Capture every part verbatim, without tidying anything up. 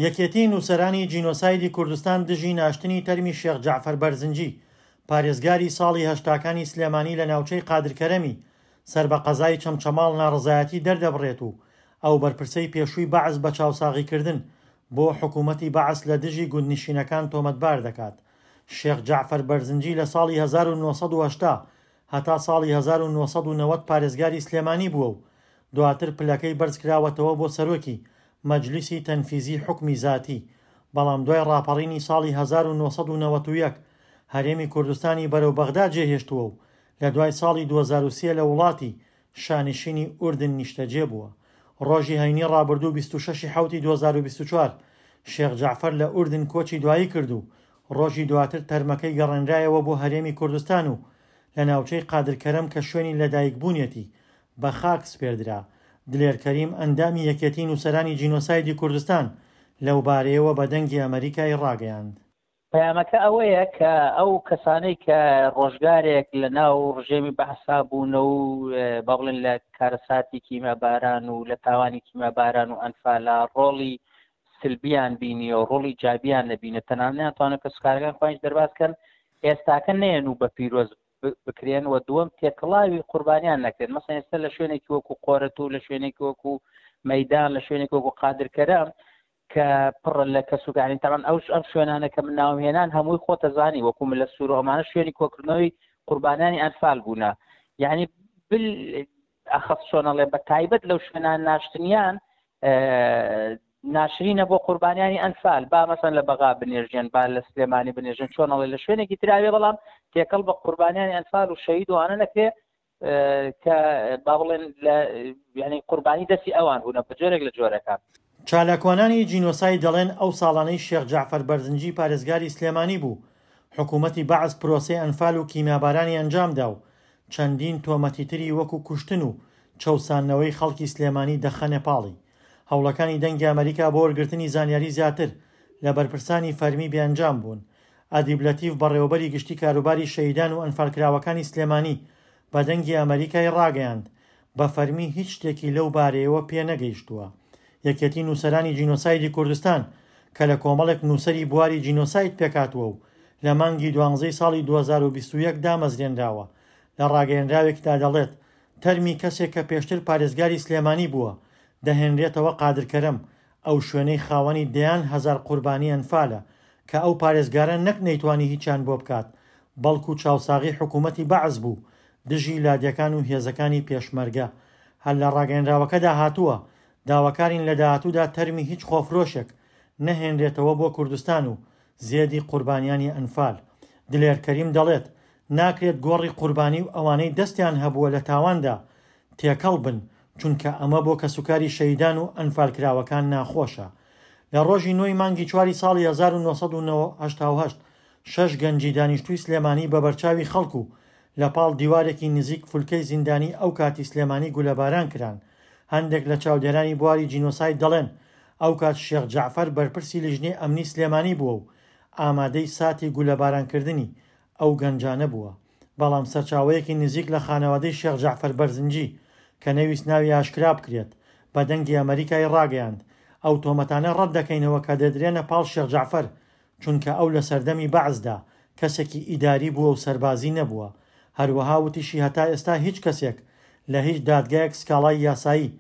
یەکێتی نووسەرانی جینۆسایدی کوردستان دژی ناشتنی تەرمی شێخ جەعفەر بەرزنجی، پارێزگاری ساڵی هەشتاکانی سلێمانی لە ناوچەی قادرکەرەمی سەر بە قەزای چەمچەماڵ ناڕەزایەتی دەردەبڕێت و ئەو بەرپرسەی پێشووی بەعس بە چاوساغیکردن بۆ حکوومەتی بەعس لە دژی گوندنشینەکان تۆمەتبار دەکات. شێخ جەعفەر بەرزنجی لە ساڵی هەزار و نۆ سەد و هەشتا هەتا ساڵی هەزار و نۆ سەد و نەوەد پارێزگاری سلێمانی بووە و دواتر پلەکەی بەرزکراوەتەوە بۆ سەرۆکی مەجلیسی تەنفیزی حوکمی زاتی، بەڵام دوای ڕاپەڕینی ساڵی هەزار و نۆ سەد و نەوەد و یەک هەرێمی کوردستانی بەرەو بەغدا جێهێشتووە و لە دوای ساڵی دوو هەزار و سێ لە وڵاتی شانشینی ئوردن نیشتەجێ بووە. ڕۆژی هەینی ڕابردوو بیست و شەش ی حەوتی دوو هەزار و بیست و چوار شێخ جەعفەر لە ئوردن کۆچی دوایی کرد و ڕۆژی دواتر تەرمەکەی گەڕێنرایەوە بۆ هەرێمی کوردستان و لە ناوچەی قادرکەرەم کە شوێنی لەدایکبوونیەتی بە خاک سپێردرا. دلێر کەریم ئەندامی یەکێتی نووسەرانی جینۆسایدی کوردستان لەوبارەیەوە بە دەنگی ئەمەریکای ڕاگەیاند. پەیامەکە ئەوەیە کە ئەو کەسانەی کە ڕۆژگارێک لە ناو ڕژێمی بەعسا بوونە و با بڵێن لە کارەساتی کیمیاباران و لە تاوانی کیمیاباران و ئەنفالا ڕۆڵی سلبیان بینی و ڕۆڵی جابیان نەبینە، تەنانەت ناتوانن کەسوکارەکان خۆیان دەرباز کەن، ئێستاکە نەیەن و بە پیرۆز بکرێن و دووەم تێکەڵاوی قوربانیان نەکرێن. مەسەن ئێستا لە شوێنێکی وەکو قۆرەت و لە شوێنێکی وەکو مەیدان، لە شوێنێکی وەکو قادرکەرەم کە پڕە لە کەسوکانی، تەمان ئەو ئەم شوێنانە کە من ناوم هێنان هەمووی خۆتەزانی وەکو من لە سوور و ئەمانە شوێنی کۆکردنەوەی قوربانیانی ئەنفال بوونە. یعنی بل ئەخەف چۆنەڵێ بە تایبەت لەو شوێنان ناشتنیان ناشرینە بۆ قوربانیانی ئەنفال، با مەسەن لە بەغا بنێژێن، با لە سلێمانی بنێژن، چۆنەڵێ لە شوێنێکی تراوێ، بەڵام تێکەڵ بە قوربانیانی ئەنفال و شەهید وانە نەکرێ کە با بڵێن لە یعنی قوربانی دەستی ئەوان بوونە بە جۆرێک لە جۆرەکان. چالاکوانانی جینۆساید دەڵێن ئەو ساڵانەی شێخ جەعفەر بەرزنجی پارێزگاری سلێمانی بوو، حکوومەتی بەعس پرۆسەی ئەنفال و کیمیابارانی ئەنجامدا و چەندین تۆمەتی تری وەکو کوشتن و چەوساندنەوەی خەڵکی سلێمانی دەخەنە پاڵی. هەوڵەکانی دەنگی ئەمریکا بۆ وەرگرتنی زانیاری زیاتر لە بەرپرسانی فەرمی بێئەنجام بوون. ئەدیب لەتیف بەڕێوەبەری گشتی کاروباری شەهیدان و ئەنفالکراوەکانی سلێمانی بە دەنگی ئەمریکای ڕاگەیاند بە فەرمی هیچ شتێکی لەو بارەیەوە پێ نەگەیشتووە. یەکێتی نووسەرانی جینۆسایدی کوردستان کە لە کۆمەڵێک نووسەری بواری جینۆساید پێکاتوە و لە مانگی دوانزەی ساڵی دوو هەزار و بیست و یەک دامەزرێنراوە، لە ڕاگەیەنراوێکدا دەڵێت تەرمی کەسێک کە پێشتر پارێزگاری سلێمانی بووە دەهێنرێتەوە قادرکەرەم، ئەو شوێنەی خاوەنی دەیان هەزار قوربانی ئەنفالە کە ئەو پارێزگارە نەک نەیتوانی هیچیان بۆ بکات، بەڵکو چاوساغی حکوومەتی بەعس بوو دژی لادیەکان و هێزەکانی پێشمەرگە. هەر لە ڕاگەیەنراوەکەدا هاتووە داواکارین لە داهاتوودا تەرمی هیچ خۆفرۆشێک نەهێنرێتەوە بۆ کوردستان و زێدی قوربانیانی ئەنفال. دلێر کەریم دەڵێت ناکرێت گۆڕی قوربانی و ئەوانەی دەستیان هەبووە لە تاواندا تێکەڵ بن، چونکە ئەمە بۆ کەسوکاری شەهیدان و ئەنفالکراوەکان ناخۆشە. لە ڕۆژی نۆی مانگی چواری ساڵی هەزار و نۆ سەد و هەشتا و هەشت شەش گەنجی دانیشتووی سلێمانی بە بەرچاوی خەڵک و لە پاڵ دیوارێکی نزیک فولکەی زیندانی ئەو کاتی سلێمانی گولەباران کران. هەندێک لە چاودێرانی بواری جینۆساید دەڵێن ئەو کات شێخ جەعفەر بەرپرسی لیژنەی ئەمنی سلێمانی بووە و ئامادەی ساتی گولەبارانکردنی ئەو گەنجانە بووە. بەڵام سەرچاوەیەکی نزیک لە خانەوادەی شێخ جەعفەر بەرزنجی کە نەویست ناوی ئاشکرا بکرێت بە دەنگی ئەمریکای ڕاگەیاند ئەو تۆمەتانە ڕەت دەکەینەوە کە دەدرێنە پاڵ شێخ جەعفەر، چونکە ئەو لە سەردەمی بەعسدا کەسێکی ئیداری بووە و سەربازی نەبووە. هەروەها وتیشی هەتا ئێستا هیچ کەسێک لە هیچ دادگایەک سکاڵای یاسایی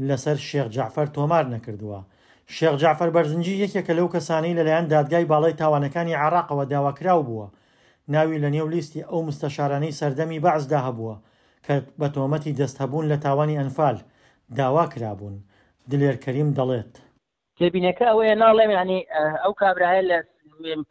لەسەر شێخ جەعفەر تۆمار نەکردووە. شێخ جەعفەر بەرزنجی یەکێکە لەو کەسانەی لەلایەن دادگای باڵای تاوانەکانی عێراقەوە داواکراو بووە، ناوی لە نێو لیستی ئەو مستەشارانەی سەردەمی بەعسدا هەبووە کە بە تۆمەتی دەستهەبوون لە تاوانی ئەنفال داوا کرابوون. دلێر کەریم دەڵێت تێبینەکە ئەوەیە ناڵێم یعنی ئەو کابرایە لە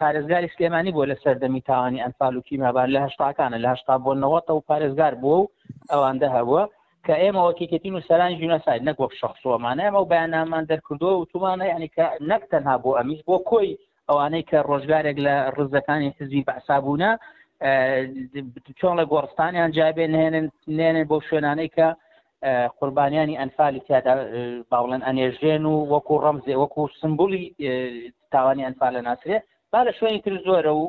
پارێزگاری سلێمانی بووە لە سەردەمی تاوانی ئەنفال و کیمیاباران لە هەشتاکانە، لە هەشتا بۆ نەوەتە و پارێزگار بووە و ئەواندە هەبووە کە ئێمە وەک یەکێتی نووسەرانی جینۆساید نەک وەک شەخسۆمانە ئێمە ئەو بەیاننامەمان دەرکردووە و وتومانە یعنی کە نەک تەنها بۆ ئەمیش بۆ کۆی ئەوانەی کە ڕۆژگارێک لە ڕزەکانی حزبی بەعسا بوونە چۆن لە گۆڕستانیان جابێ نهێنن نێنن بۆ شوێنانەی کە قوربانیانی ئەنفالی تیادا باوڵێن ئەنێژێن و وەکو ڕەمزێ وەکو سمبولی تاوانی ئەنفالە ناسرێ، با لە شوێنی تر زۆرە و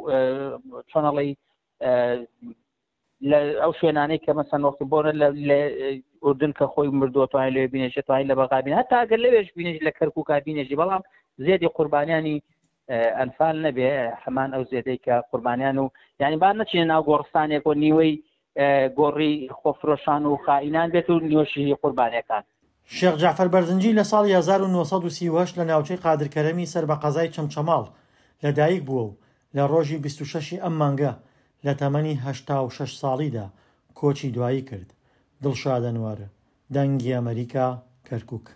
چۆنەڵی لە ئەو شوێنانەی کە مەسەن وەختی بۆنە لە ئوردن کە خۆی مردووە توانای لەوێ بینێژێ، توانای لە بەغا بینێ، هەتا ئەگەر لەوێش بینێژی لە کەرکووکا بینێژی، بەڵام زێدی قوربانیانی ئەنفال نەبێ، هەمان ئەو زێدەی کە قوربانیان و یعنی با نەچینە ناو گۆڕستانێک و نیوەی گۆڕی خۆفرۆشان و خائینان بێت و نیوەشی قوربانیەکان. شێخ جەعفەر بەرزنجی لە ساڵی هەزار و نۆ سەد و سی و هەشت لە ناوچەی قادرکەرەمی سەر بە قەزای چەمچەماڵ لە دایک بووە و لە ڕۆژی بیست و شەش ی ئەم مانگە لە تەمەنی هەشتا و شەش ساڵیدا کۆچی دوایی کرد. دڵشاد ئەنوەر، دەنگی ئەمەریکا، کەرکوک.